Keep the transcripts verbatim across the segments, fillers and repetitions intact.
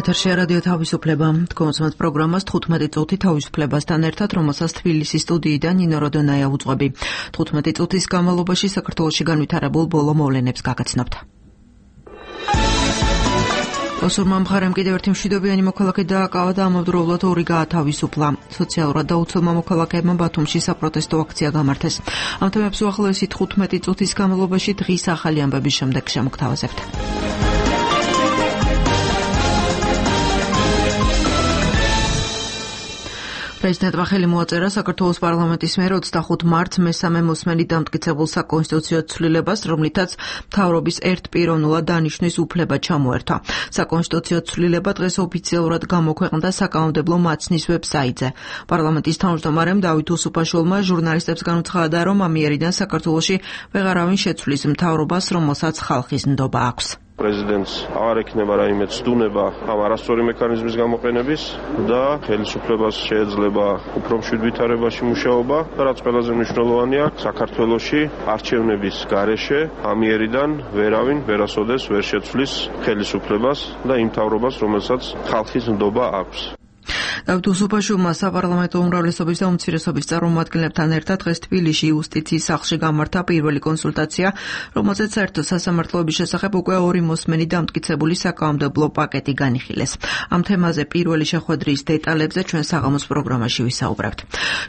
ეთერშია რადიო თავისუფლება. თქვენს პროგრამას თხუთმეტი წუთი თავისუფლებასთან ერთად, რომელსაც თბილისის სტუდიიდან ნინო როდონაია უძღვები. თხუთმეტი წუთის განმავლობაში საქართველოში განვითარებულ ბოლო მოვლენებს გაგაცნობთ. ოსურმა მხარემ კიდევ ერთი მშვიდობიანი მოქალაქე დააკავა და ამავდროულად ორი გაათავისუფლა. სოციალურად დაუცველმა მოქალაქეებმა ბათუმში საპროტესტო აქცია გამართეს. ამ თემებს უახლოესი თხუთმეტი წუთის განმავლობაში დღის ახალი ამბების შემდეგ შემოგთავაზებთ. პრეზიდენტმა ხელი მოაწერა საქართველოს პარლამენტის მიერ ოცდახუთ მარტს მესამე მოსმენით დამტკიცებულ საკონსტიტუციო ცვლილებას, რომლითაც მთავრობის ერთპიროვნულად დანიშვნის უფლება ჩამოერთვა. საკონსტიტუციო ცვლილება დღეს ოფიციალურად გამოქვეყნდა საკანონმდებლო მაცნის ვებსაიტზე. პარლამენტის თავმჯდომარემ დავით უსუფაშვილმა ჟურნალისტებს განუცხადა, რომ ამიერიდან საქართველოში ვეღარავინ შეცვლის მთავრობას, რომელსაც ხალხის ნდობა აქვს. პრეზიდენტს აღარ ექნება რაიმე ცდუნება ამ არასწორი მექანიზმის გამოყენების და ხელისუფლებას შეეძლება უფრო მშვიდ ვითარებაში მუშაობა და რაც ყველაზე მნიშვნელოვანია, საქართველოში არჩევნების გარეშე ამიერიდან ვერავინ ვერასოდეს ვერ შეცვლის ხელისუფლებას და იმ მთავრობას, რომელსაც ხალხის ნდობა აქვს. დავით უსუფაშვილმა საპარლამენტო უმრავლესობის და უმცირესობის წარმომადგენლებთან ერთად დღეს თბილისში იუსტიციის სახლში გამართა პირველი კონსულტაცია, რომელზეც საერთო სასამართლოების შესახებ უკვე ორი მოსმენით დამტკიცებული საკანონმდებლო პაკეტი განიხილეს. ამ თემაზე პირველი შეხვედრის დეტალებზე ჩვენ საღამოს პროგრამაში ვისაუბრებთ.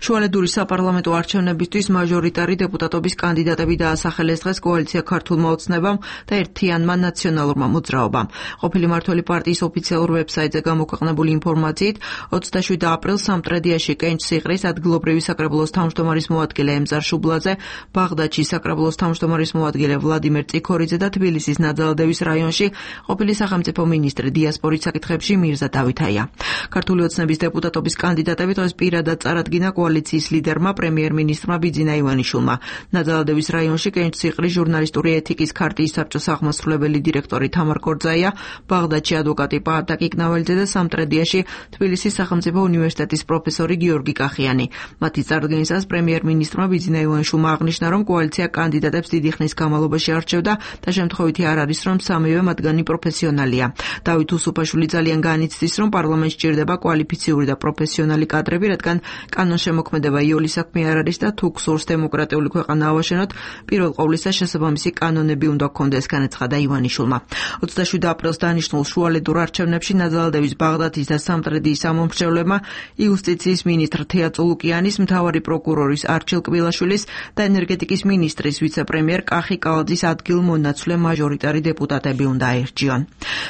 შუალედური საპარლამენტო არჩევნებისთვის მაჟორიტარი დეპუტატობის კანდიდატები დაასახელეს დღეს კოალიცია ქართულმა ოცნებამ და ერთიანმა ნაციონალურმა მოძრაობამ. ყოფილი მმართველი პარტიის ოფიციალურ ვებსაიტზე გამოქვეყნებული ინფორმაციით ოცდაშვიდ აპრილს სამტრედიაში კენჭსიყრის ადგილობრივი საკრებულოს თავმჯდომარის მოადგილე ემზარ შუბლაძე, ბაღდადში საკრებულოს თავმჯდომარის მოადგილე ვლადიმერ წიქორიძე და თბილისის ნაძალადევის რაიონში ყოფილი სახელმწიფო მინისტრი დიასპორის საკითხებში მირზა დავითაია. ქართული ოცნების დეპუტატობის კანდიდატები დღეს პირადად წარადგინა კოალიციის ლიდერმა პრემიერ-მინისტრმა ბიძინა ივანიშვილმა. ნაძალადევის რაიონში კენჭსიყრის ჟურნალისტური ეთიკის ქარტიის საბჭოს აღმასრულებელი დირექტორი თამარ კორძაია, ბაღდადში ადვოკატი პაატაკ იკნაველიძე და სამტრედიაში თბილისის სახელმწიფო უნივერსიტეტის პროფესორი გიორგი კახიანი. მათი წარდგენისას პრემიერ-მინისტრმა ბიძინა ივანიშვილმა აღნიშნა, რომ კოალიცია კანდიდატებს დიდი ხნის განმავლობაში არჩევდა და შემთხვევითი არ არის, რომ სამივე მათგანი პროფესიონალია. დავით უსუფაშვილი ძალიან განიცდის, რომ პარლამენტს სჭირდება კვალიფიციური და პროფესიონალი კადრები, რადგან კანონშემოქმედება იოლი საქმე არ არის და თუ გსურს დემოკრატიული ქვეყანა ავაშენოთ, პირველ ყოვლისა შესაბამისი კანონები უნდა გქონდეს, განაცხადა ივანიშვილმა. ოცდაშვიდ აპრილს დანიშნულ შუალედურ არჩევნებში ნაძალადევის, ბაღდადის და სამტრედიის ამომრჩევლებმა იუსტიციის მინისტრ თეა წულუკიანის, მთავარი პროკურორის არჩილ კბილაშვილის და ენერგეტიკის მინისტრის ვიცე-პრემიერ კახი კალაძის ადგილმონაცვლე მაჟორიტარი დეპუტატები უნდა აერჩიონ.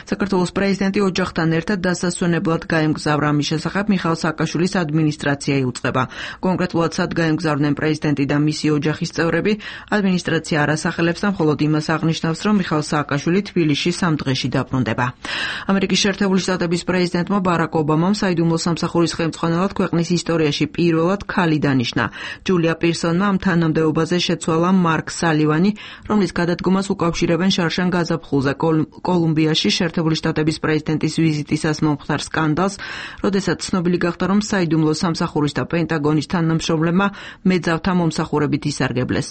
საქართველოს პრეზიდენტი ოჯახთან ერთად დასასვენებლად გაემგზავრა. ამის შესახებ მიხაილ სააკაშვილის ადმინისტრაცია იუწყება. კონკრეტულად სად გაემგზავრნენ პრეზიდენტი და მისი ოჯახის წევრები, ადმინისტრაცია არ ასახელებს და მხოლოდ იმას აღნიშნავს, რომ მიხაილ სააკაშვილი თბილისში სამ დღეში დაბრუნდება. ამერიკის შეერთებული შტატების პრეზიდენტმა ბარაკ ობამამ საიდუმლო სამსახურის ხელმძღვანელად ქვეყნის ისტორიაში პირველად ქალი დანიშნა. ჯულია პირსონმა ამ თანამდებობაზე შეცვალა მარკ სალივანი, რომლის გადადგომას უკავშირებენ შარშან გაზაფხულზე კოლუმბიაში შეერთებული შტატების პრეზიდენტის ვიზიტისას მომხდარ სკანდალს, როდესაც ცნობილი გახდა, რომ საიდუმლო სამსახურის და პენტაგონის თანამშრომლებმა მეძავთა მომსახურებით ისარგებლეს.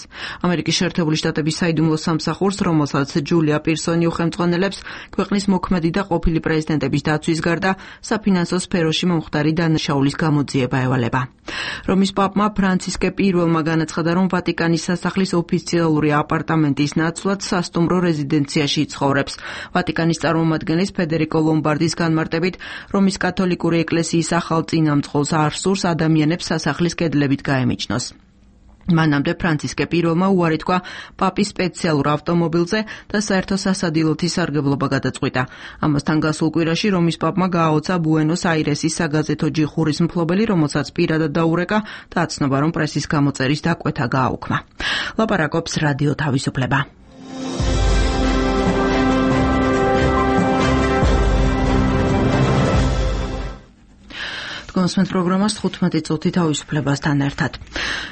ამერიკის შეერთებული შტატების საიდუმლო სამსახურს, რომელსაც ჯულია პირსონი უხელმძღვანელებს, ქვეყნის მოქმედი და ყოფილი პრეზიდენტების დაცვის გარდა საფინანსო სფეროში მომხდარი დანაშაულის გამოძიება ევალება. რომის პაპმა ფრანცისკე პირველმა განაცხადა, რომ ვატიკანის სასახლის ოფიციალური აპარტამენტის ნაცვლად სასტუმრო რეზიდენციაში იცხოვრებს. ვატიკანის წარმომადგენლის ფედერიკო ლომბარდის განმარტებით, რომის კათოლიკური ეკლესიის ახალ წინამძღოლს არ სურს ადამიანებს სასახლის კედლებით გაემიჯნოს. მანამდე ფრანცისკე პირველმა უარი თქვა პაპის სპეციალურ ავტომობილზე და საერთო სასადილოთი სარგებლობა გადაწყვიტა. ამასთან გასულ კვირაში რომის პაპმა გააოცა ბუენოს აირესის საგაზეთო ჯიხურის მფლობელი, რომელსაც პირადად დაურეკა და აცნობა, რომ პრესის გამოწერის დაკვეთა გააუქმა. ლაპარაკობს რადიო თავისუფლება. Თქვენს პროგრამას თხუთმეტი წუთი თავისუფლებასთან ერთად.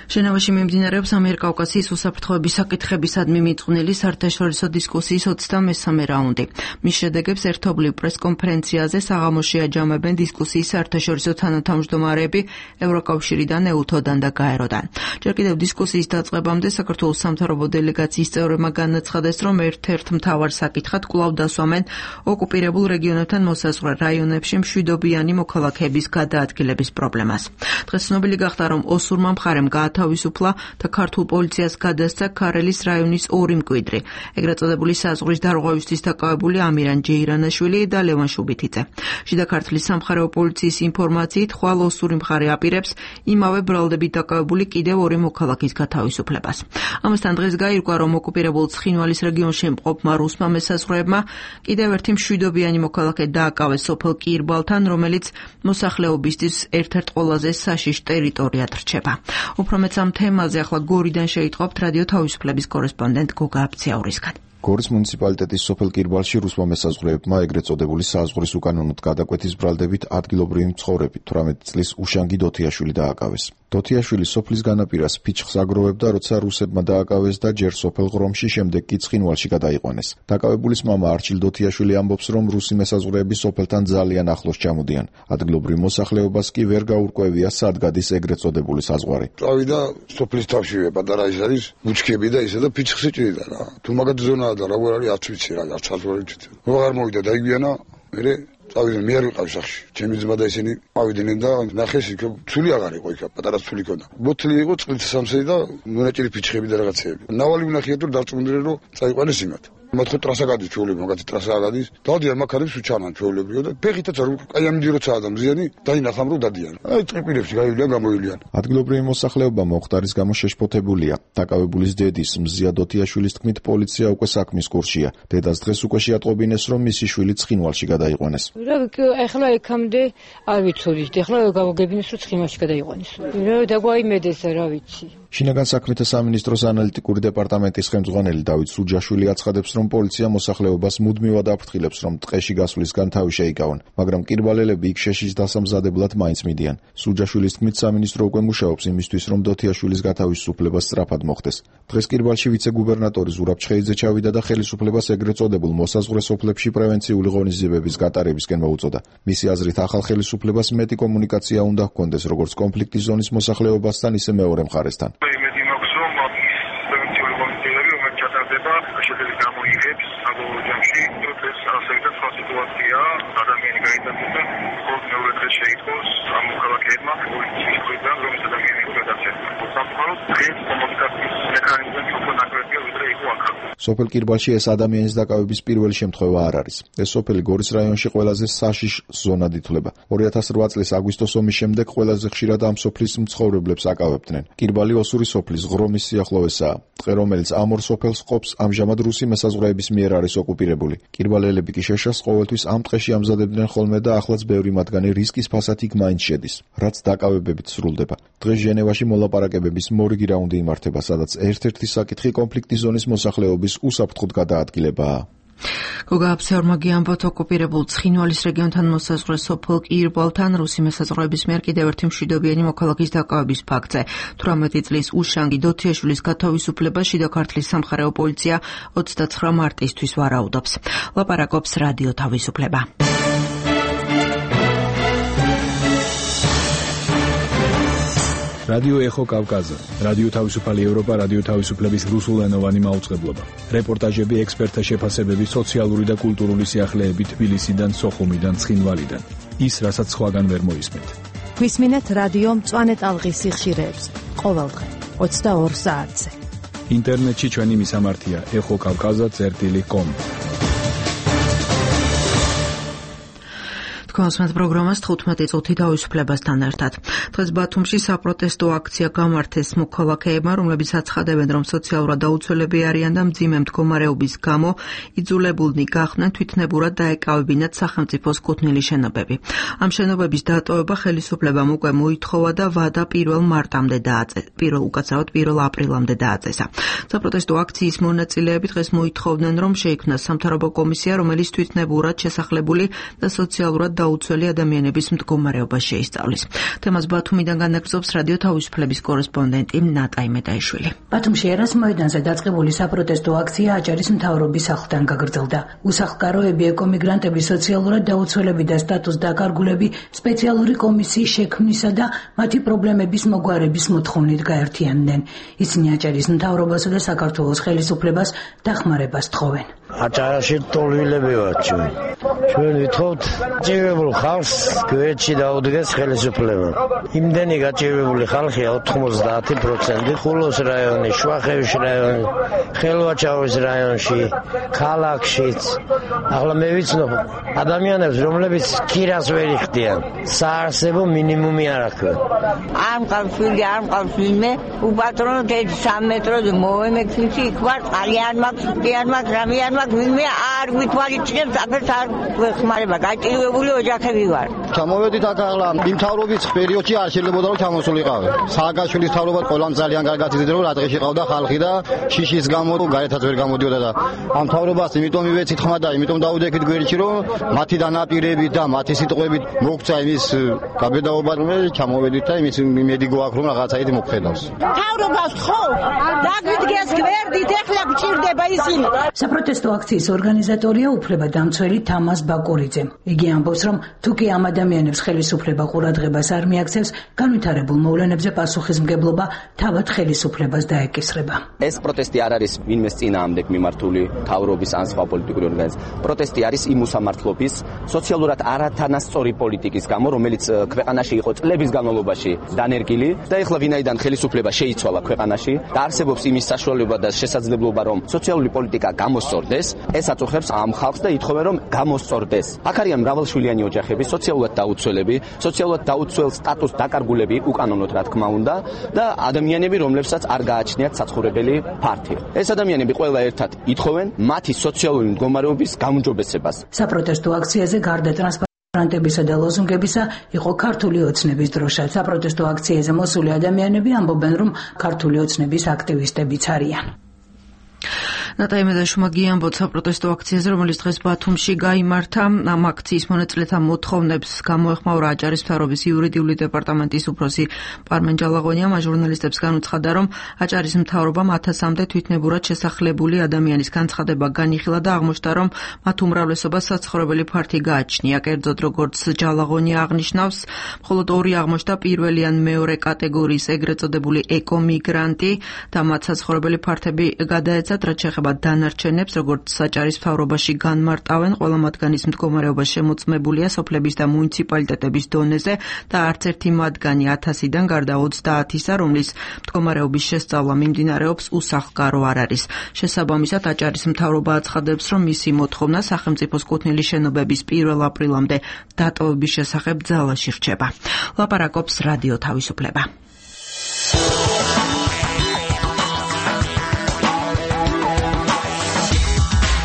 ჟენევაში მიმდინარეობს ამიერკავკასიის უსაფრთხოების საკითხებისადმი მიწყვნილი საერთაშორისო დისკუსიის ოცდამესამე რაუნდი. მის შედეგებს ერთობლივ პრესკონფერენციაზე საღამოში აჯამებენ დისკუსიის საერთაშორისო თანათავმჯდომარეები ევროკავშირიდან, ეუთოდან და გაეროდან. ჯერ კიდევ დისკუსიის დაწყებამდე საქართველოს სამთავრობო დელეგაციის წევრებმა განაცხადეს, რომ ერთ-ერთ მთავარ საკითხად კვლავ დასვამენ ოკუპირებულ რეგიონებთან მოსაზღვრე რაიონებში მშვიდობიანი მოქალაქეების გადაადგილების პრობლემას. დღეს ცნობილი გახდა, რომ ოსურმა მხარემ გაათავისუფლა და ქართულ პოლიციას გადასცა ქარელის რაიონის ორი მკვიდრი, ეგრეთ წოდებული საზღვრის დარღვევისთვის დაკავებული ამირან ჯეირანაშვილი და ლევან შუბითიძე. შიდა ქართლის სამხარეო პოლიციის ინფორმაციით, ხვალ ოსური მხარე აპირებს იმავე ბრალდებით დაკავებული კიდევ ორი მოქალაქის გათავისუფლებას. ამასთან დღეს გაირკვა, რომ ოკუპირებულ ცხინვალის რეგიონში მყოფმა რუსმა მესაზღვრეებმა კიდევ ერთი მშვიდობიანი მოქალაქე დააკავეს სოფელ კირბალთან, რომელიც მოსახლეობისთვის ერთ-ერთ ყველაზე საშიშ ტერიტორიად რჩება. უფრო მეც ამ თემაზე ახლა გორიდან შეიტყობთ რადიო თავისუფლების კორესპონდენტ გოგა აბციაურისგან. გორის მუნიციპალიტეტის სოფელ კირბალში რუსმა მესაზღვრეებმა ეგრეთ წოდებული საზღვრის უკანონოდ გადაკვეთის ბრალდებით ადგილობრივი მცხოვრები თვრამეტი წლის უშანგი დოთიაშვილი დააკავეს. დოთიაშვილი სოფლის განაპირას ფიჩხს აგროვებდა, როცა რუსებმა დააკავეს და ჯერ სოფელ ღრომში, შემდეგ კი ცხინვალში გადაიყვანეს. დაკავებულის მამა არჩილ დოთიაშვილი ამბობს, რომ რუსი მესაზღვრეები სოფელთან ძალიან ახლოს ჩამოდიან. ადგილობრივ მოსახლეობას კი ვერ გაურკვევია, სად გადის ეგრეთ წოდებული საზღვარი. წავიდა სოფლის თავშივე პატარა ის არის ბუჩქები და ისე და ფიჩხს იჭრიდა რა. თუ მაგათ ზონა და რა ვარ არის არც ვიცი რა, არც არ ვიცი. როგორ მოვიდა დაიგვიანა, მე წავიდნენ, მე არ ვიყავ სახში. ჩემი ძმა და ისინი ავიდნენ და ნახეს იქ ცული აღარ იყო იქ, პატარა ცული ქონდა. ბოთლი იყო წყლით სამსები და მონაჭირი ფიჩხები და რაღაცეები. ნავალი ვნახია თუ დარწმუნდნენ რომ წაიყვანეს იმათ. მოთხე ტრასა გადის ჩვეულებრივ, მაგათი ტრასა გადის. დადიან მაქარებს უჩანან ჩვეულებრივ და ფეხითაც არ აი ამ დილოცაა და მზიანი დაინახამ რომ დადიან. აი ტრიპილებში გაივლიან, გამოივლიან. ადგილობრივი მოსახლეობა მოხდარის გამო შეშფოთებულია. დაკავებულის დედის მზია დოთიაშვილის თქმით, პოლიცია უკვე საქმის კურსია. დედას დღეს უკვე შეატყობინეს, რომ მისი შვილი ცხინვალში გადაიყვანეს. რა ახლა ეკამდე არ ვიცოდით, ახლა გავაგებინეს რომ ცხინვალში გადაიყვანეს. რა დაგვაიმედეს რა ვიცი. შინაგან საქმეთა სამინისტროს ანალიტიკური დეპარტამენტის ხელმძღვანელი დავით სუჯაშვილი აცხადებს, რომ პოლიცია მოსახლეობას მუდმივად აფრთხილებს, რომ ტყეში გასვლისგან თავი შეიკავონ, მაგრამ კირბალელები იქ შეშის დასამზადებლად მაინც მიდიან. სუჯაშვილის თქმით, სამინისტრო უკვე მუშაობს იმისთვის, რომ დოთიაშვილის გათავისუფლება სწრაფად მოხდეს. დღეს კირბალში ვიცე-გუბერნატორი ზურაბ ჩხეიძე ჩავიდა და ხელისუფლებას ეგრეთ წოდებულ მოსაზღვრე სოფლებში პრევენციული ღონისძიებების გატარებისკენ მოუწოდა. მისი აზრით, ახალ ხელისუფლებას მეტი კომუნიკაცია უნდა ჰქონდეს როგორც კონფლიქტის ზონის მოსახლეობასთან, ისე მეორე მხარესთან. შედეგი გამოიღებს აგროჯამში ეს ასეთი სხვა სიტუაცია ადამიანი გაიტანდა ხოლმე მეორე დღეს შეიტყოს ამ მოქალაქეებმა პოლიციის მხრიდან რომ ეს ადამიანი გადაცემა სამყაროს დღეს კომუნიკაციის მექანიზმი უფრო ნაკლებია ვიდრე იყო აქ. სოფელ კირბალში ეს ადამიანის დაკავების პირველი შემთხვევა არ არის. ეს სოფელი გორის რაიონში ყველაზე საშიშ ზონად ითვლება. ორი ათას რვა წლის აგვისტოს ომის შემდეგ ყველაზე ხშირად ამ სოფლის მცხოვრებლებს აკავებდნენ. კირბალი ოსური სოფლის ღრომის სიახლოვესაა. ტყე, რომელიც ამ ორ სოფელს ყოფს, ამჟამად რუსი მესაზღვრეების მიერ არის ოკუპირებული. კირბალელები კი შეშას ყოველთვის ამ ტყეში ამზადებდნენ ხოლმე და ახლაც ბევრი მათგანი რისკის ფასად იქ მაინც შედის, რაც დაკავებებით სრულდება. დღეს ჟენევაში მოლაპარაკებების მორიგი რაუნდი იმართება, სადაც ერთ-ერთი საკითხი კონფლიქტის ზონის მოსახლეობის უსაფრთხოდ გადაადგილებაა. გოგა აბციაურმა გიამბოთ, ოკუპირებულ ცხინვალის რეგიონთან მოსაზღვრე სოფელ კირბალთან რუსი მესაზღვრეების მიერ კიდევ ერთი მშვიდობიანი მოქალაქის დაკავების ფაქტზე. თვრამეტი წლის უშანგი დოთიაშვილის გათავისუფლება შიდა ქართლის სამხარეო პოლიცია ოცდაცხრა მარტისთვის ვარაუდობს. ლაპარაკობს რადიო თავისუფლება. რადიო ეხო კავკაზა, რადიო თავისუფალი ევროპა, რადიო თავისუფლების რუსულენოვანი მაუწყებლობა. რეპორტაჟები, ექსპერტთა შეფასებები, სოციალური და კულტურული სიახლეები თბილისიდან, სოხუმიდან, ცხინვალიდან. ის, რასაც სხვაგან ვერ მოისმენთ. გვისმინეთ რადიო მწვანე ტალღის სიხშირეებს ყოველდღე ოცდაორ საათზე. ინტერნეტში ჩვენი მისამართია ეხო კავკაზა წერტილი კომ. კონსმეთ პროგრამას თხუთმეტი წუთი თავისუფლებასთან ერთად. დღეს ბათუმში საპროტესტო აქცია გამართეს მოქალაქეებმა, რომლებიც აცხადებენ, რომ სოციალურად დაუცველები არიან და მძიმე მდგომარეობის გამო იძულებულნი გახდნენ თვითნებურად დაეკავებინათ სახელმწიფოს კუთვნილი შენობები. ამ შენობების დატოვება ხელისუფლებამ უკვე მოითხოვა და ვადა პირველ მარტამდე დააწესა. პირველ უკაცრავად პირველ აპრილამდე დააწესა. საპროტესტო აქციის მონაწილეები დღეს მოითხოვდნენ, რომ შეიქმნას სამთავრობო კომისია, რომელიც თვითნებურად შესახლებული და სოციალურად დაუცველი ადამიანების მდგომარეობა შეისწავლის. თემას ბათუმიდან განაგრძობს რადიო თავისუფლების კორესპონდენტი ნატაი მეტაიშვილი. ბათუმში ერას მოედანზე დაწყებული საპროტესტო აქცია აჭარის მთავრობის სახლთან გაგრძელდა. უსახლკაროები, ეკომიგრანტები, სოციალურად დაუცველები და სტატუს დაკარგულები სპეციალური კომისიის შექმნისა და მათი პრობლემების მოგვარების მოთხოვნით გაერთიანდნენ. ისინი აჭარის მთავრობასა და საქართველოს ხელისუფლებას დახმარებას თხოვენ. აჭარაში ტოლვილები ვართ ჩვენ. ჩვენ ვითხოვთ ჭირებულ ხალხს გვერდში დაუდგეს ხელისუფლება. იმდენი გაჭირებული ხალხია ოთხმოცდაათი პროცენტი ხულოს რაიონი, შვახევის რაიონი, ხელვაჩაურის რაიონში, ქალაქშიც. ახლა მე ვიცნობ ადამიანებს, რომლებიც ქირას ვერ იხდიან. საარსებო მინიმუმი არ აქვთ. არ მყავს ვინმე, არ მყავს ვინმე, უპატრონოთ ერთი სამი მეტრო მოვემექცი იქ ვარ, წყალი არ მაქვს, კი არ მაქვს, რამე არ მაქვს, ვინმე არ გვითვალიჩნებს, აფერს არ გვეხმარება, გაჭირვებული ოჯახები ვარ. ჩამოვედით აქ ახლა იმ თავრობის პერიოდში არ შეიძლებოდა რომ ჩამოსულიყავი. სააკაშვილის თავრობა ყველამ ძალიან კარგად იცოდა რომ რა დღეში ყავდა ხალხი და შიშის გამო გაერთაც ვერ გამოდიოდა და ამ თავრობას იმიტომ მივეცით ხმა და იმიტომ დაუდექით გვერდში რომ მათი დანაპირებით და მათი სიტყვებით მოგცა იმის გაბედაობა რომ ჩამოვედით და იმის იმედი გვაქვს რომ რაღაცა იგი მოგხედავს. თავრობას ხო დაგვიდგეს გვერდით ეხლა გჭირდება ისინი. საპროტესტო აქციის ორგანიზატორია უფლებადამცველი თამას ბაკურიძე. იგი ამბობს რომ თუ კი ამ ადამიანებს ხელისუფლება ყურადღებას არ მიაქცევს, განვითარებულ მოვლენებზე პასუხისმგებლობა თავად ხელისუფლებას დაეკისრება. ეს პროტესტი არ არის ვინმეს წინააღმდეგ მიმართული თავრობის ან სხვა პოლიტიკური ორგანიზაციის. პროტესტი არის იმ უსამართლობის, სოციალურად არათანასწორი პოლიტიკის გამო, რომელიც ქვეყანაში იყო წლების განმავლობაში დანერგილი და ეხლა ვინაიდან ხელისუფლება შეიცვალა ქვეყანაში და არსებობს იმის საშუალება და შესაძლებლობა, რომ სოციალური პოლიტიკა გამოსწორდეს, ეს აწუხებს ამ ხალხს და ითხოვენ, რომ გამოსწორდეს. აქ არიან მრავალშვილიანი ოჯახები, სოციალურად დაუცველები, სოციალურად დაუცველ სტატუსს დაკარგულები უკანონოდ რა თქმა უნდა და ადამიანები, რომლებსაც არ გააჩნიათ საცხოვრებელი ფართი. ეს ადამიანები ყველა ერთად ითხოვენ მათი სოციალური მდგომარეობის გაუმჯობესებას. საპროტესტო აქციაზე გარდა ტრანსპარენტებისა და ლოზუნგებისა იყო ქართული ოცნების დროშა. საპროტესტო აქციაზე მოსული ადამიანები ამბობენ, რომ ქართული ოცნების აქტივისტებიც არიან. ნატაი მეტაიშვილმა გიამბოთ საპროტესტო აქციაზე, რომელიც დღეს ბათუმში გაიმართა. ამ აქციის მონაწილეთა მოთხოვნებს გამოეხმაურა აჭარის მთავრობის იურიდიული დეპარტამენტის უფროსი პარმენ ჯალაღონია. მას ჟურნალისტებს განუცხადა, რომ აჭარის მთავრობამ ათასამდე თვითნებურად შესახლებული ადამიანის განცხადება განიხილა და აღმოჩნდა, რომ მათ უმრავლესობას საცხოვრებელი ფართი გააჩნია. კერძოდ, როგორც ჯალაღონია აღნიშნავს, მხოლოდ ორი აღმოჩნდა პირველი ან მეორე კატეგორიის ეგრეთ წოდებული ეკომიგრანტი და მათ საცხოვრებელი ფართები გადაეცათ, რაც შეეხება დანარჩენებს, როგორც აჭარის მთავრობაში განმარტავენ, ყველა მათგანის მდგომარეობა შემოწმებულია სოფლების და მუნიციპალიტეტების დონეზე და არც ერთი მათგანი ათასიდან გარდა ოცდაათისა, რომლის მდგომარეობის შესწავლა მიმდინარეობს, უსახლკარო არ არის. შესაბამისად, აჭარის მთავრობა აცხადებს, რომ მისი მოთხოვნა სახელმწიფოს კუთვნილი შენობების პირველ აპრილამდე დატოვების შესახებ ძალაში რჩება. ლაპარაკობს რადიო თავისუფლება.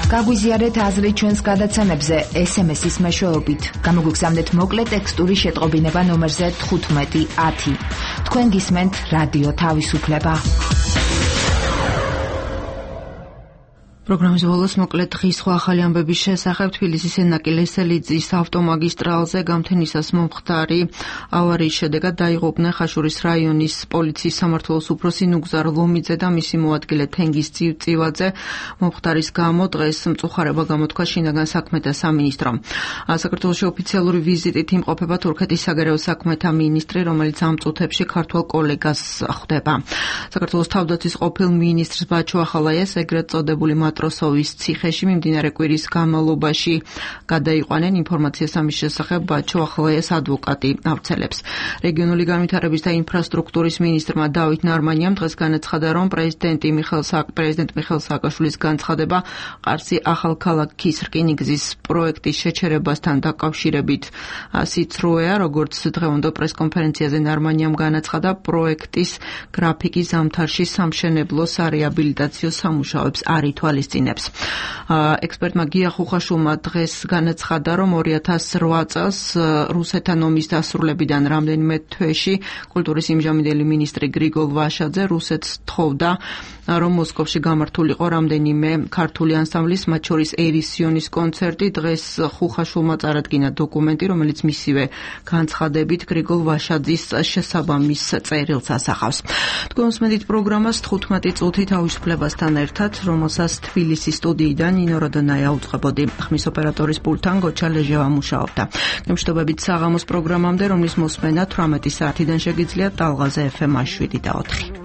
გაგვიზიარეთ აზრი ჩვენს გადაცემებზე ეს ემ ესის მეშვეობით. გამოგვიგზავნეთ მოკლე ტექსტური შეტყობინება ნომერზე თხუთმეტი ათი. თქვენ გისმენთ რადიო თავისუფლება. პროგრამის ბოლოს მოკლედ დღის სხვა ახალი ამბების შესახებ. თბილისის ენაკი ლესელიძის ავტომაგისტრალზე გამთენისას მომხდარი ავარიის შედეგად დაიღუპნენ ხაშურის რაიონის პოლიციის სამმართველოს უფროსი ნუგზარ ლომიძე და მისი მოადგილე თენგიზ წივწივაძე. მომხდარის გამო დღეს მწუხარება გამოთქვა შინაგან საქმეთა სამინისტრომ. საქართველოში ოფიციალური ვიზიტით იმყოფება თურქეთის საგარეო საქმეთა მინისტრი, რომელიც ამ წუთებში ქართველ კოლეგას ხვდება. საქართველოს თავდაცვის ყოფილ მინისტრს ბაჩო ახალაიას ეგრეთ წოდებული მატროსოვის ციხეში მიმდინარე კვირის განმავლობაში გადაიყვანენ. ინფორმაციას ამის შესახებ ბაჩო ახალაიას ადვოკატი ავრცელებს. რეგიონული განვითარების და ინფრასტრუქტურის მინისტრმა დავით ნარმანიამ დღეს განაცხადა, რომ პრეზიდენტი მიხეილ პრეზიდენტ მიხეილ სააკაშვილის განცხადება ყარსი ახალქალაქის რკინიგზის პროექტის შეჩერებასთან დაკავშირებით სიცრუეა. როგორც დღევანდელ პრესკონფერენციაზე ნარმანიამ განაცხადა, პროექტის გრაფიკის ზამთარში სამშენებლო სარეაბილიტაციო სამუშაოებს არ ითვალისწინებს. ექსპერტმა გია ხუხაშულმა დღეს განაცხადა, რომ ორი ათას რვა წელს რუსეთთან ომის დასრულებიდან რამდენიმე თვეში კულტურის იმჟამინდელი მინისტრი გრიგოლ ვაშაძე რუსეთს თხოვდა რომ მოსკოვში გამართულიყო რამდენიმე ქართული ანსამბლის, მათ შორის ერისიონის კონცერტი. დღეს ხუხაშულმა წარადგინა დოკუმენტი, რომელიც მისივე განცხადებით გრიგოლ ვაშაძის შესაბამის წერილს ასახავს. თქვენ უსმენთ პროგრამას თხუთმეტი წუთი თავისუფლებასთან ერთად, რომელსაც თბილისის სტუდიიდან ნინო როდონაია უწყებოდი. ხმის ოპერატორის პულტთან გოჩა ლეჟევა მუშაობდა. გემშვიდობებით საღამოს პროგრამამდე, რომლის მოსმენა თვრამეტი საათიდან შეგიძლიათ ტალღაზე ეფ ემ შვიდი და ოთხი.